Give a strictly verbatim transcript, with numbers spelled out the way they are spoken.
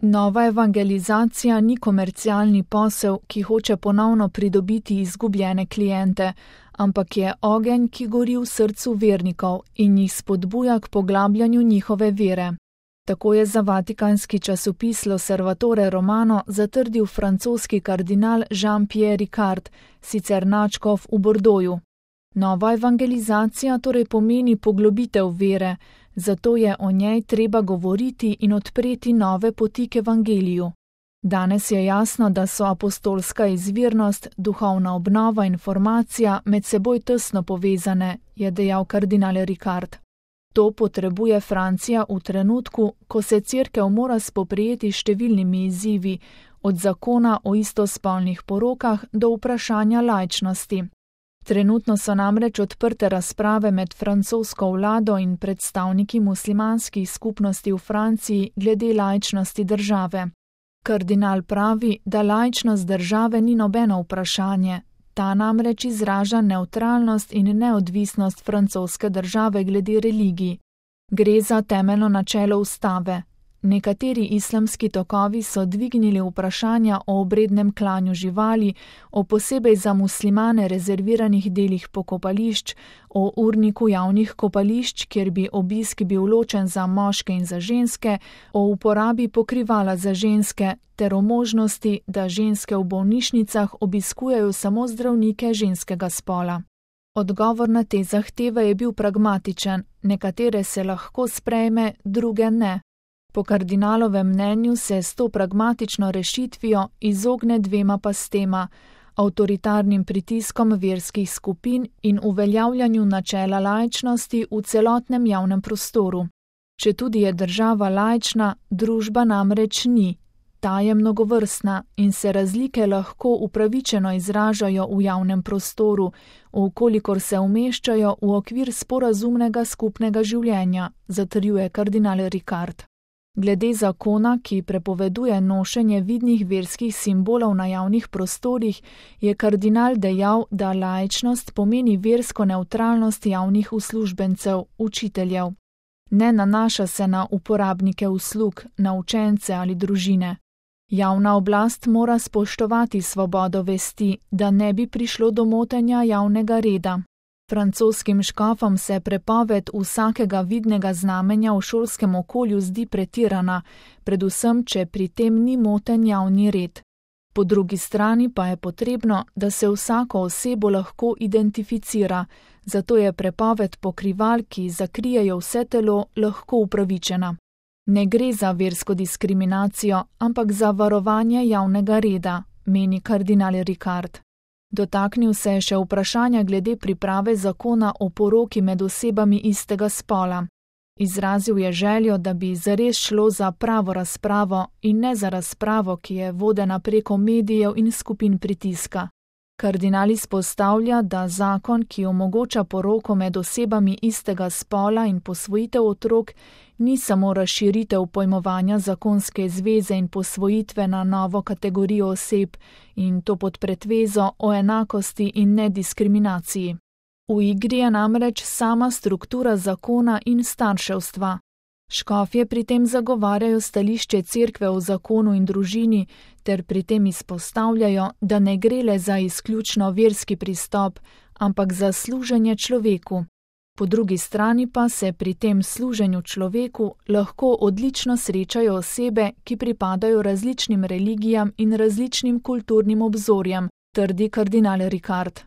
Nova evangelizacija ni komercialni posel, ki hoče ponovno pridobiti izgubljene kliente, ampak je ogenj, ki gori v srcu vernikov in jih spodbuja k poglabljanju njihove vere. Tako je za vatikanski časopis L'Osservatore Romano zatrdil francoski kardinal Jean-Pierre Ricard, sicer nadškof v Bordeauxu. Nova evangelizacija torej pomeni poglobitev vere, zato je o njej treba govoriti in odpreti nove poti k evangeliju. Danes je jasno, da so apostolska izvirnost, duhovna obnova in formacija med seboj tesno povezane, je dejal kardinal Ricard. To potrebuje Francija v trenutku, ko se cerkev mora spoprijeti s številnimi izzivi, od zakona o istospolnih porokah do vprašanja laičnosti. Trenutno so namreč odprte razprave med francosko vlado in predstavniki muslimanskih skupnosti v Franciji glede laičnosti države. Kardinal pravi, da laičnost države ni nobeno vprašanje, ta namreč izraža nevtralnost in neodvisnost francoske države glede religij. Gre za temeljno načelo ustave. Nekateri islamski tokovi so dvignili vprašanja o obrednem klanju živali, o posebej za muslimane rezerviranih delih pokopališč, o urniku javnih kopališč, kjer bi obisk bil ločen za moške in za ženske, o uporabi pokrivala za ženske, ter o možnosti, da ženske v bolnišnicah obiskujejo samo zdravnike ženskega spola. Odgovor na te zahteve je bil pragmatičen, nekatere se lahko sprejme, druge ne. Po kardinalovem mnenju se s to pragmatično rešitvijo izogne dvema pastema, avtoritarnim pritiskom verskih skupin in uveljavljanju načela laičnosti v celotnem javnem prostoru. Četudi je država laična, družba namreč ni. Ta je mnogovrstna in se razlike lahko upravičeno izražajo v javnem prostoru, vkolikor se umeščajo v okvir sporazumnega skupnega življenja, zatrjuje kardinal Ricard. Glede zakona, ki prepoveduje nošenje vidnih verskih simbolov na javnih prostorih, je kardinal dejal, da laičnost pomeni versko nevtralnost javnih uslužbencev, učiteljev. Ne nanaša se na uporabnike uslug, na učence ali družine. Javna oblast mora spoštovati svobodo vesti, da ne bi prišlo do motenja javnega reda. Francoskim škofom se prepoved vsakega vidnega znamenja v šolskem okolju zdi pretirana, predvsem, če pri tem ni moten javni red. Po drugi strani pa je potrebno, da se vsako osebo lahko identificira, zato je prepoved pokrival, ki zakrijejo vse telo, lahko upravičena. Ne gre za versko diskriminacijo, ampak za varovanje javnega reda, meni kardinal Ricard. Dotaknil se je še vprašanja glede priprave zakona o poroki med osebami istega spola. Izrazil je željo, da bi zares šlo za pravo razpravo in ne za razpravo, ki je vodena preko medijev in skupin pritiska. Kardinal izpostavlja, da zakon, ki omogoča poroko med osebami istega spola in posvojitev otrok, ni samo razširitev pojmovanja zakonske zveze in posvojitve na novo kategorijo oseb, in to pod pretvezo o enakosti in nediskriminaciji. V igri je namreč sama struktura zakona in starševstva. Škofje pri tem zagovarjajo stališče cerkve o zakonu in družini, ter pri tem izpostavljajo, da ne gre le za izključno verski pristop, ampak za služenje človeku. Po drugi strani pa se pri tem služenju človeku lahko odlično srečajo osebe, ki pripadajo različnim religijam in različnim kulturnim obzorjem, trdi kardinal Ricard.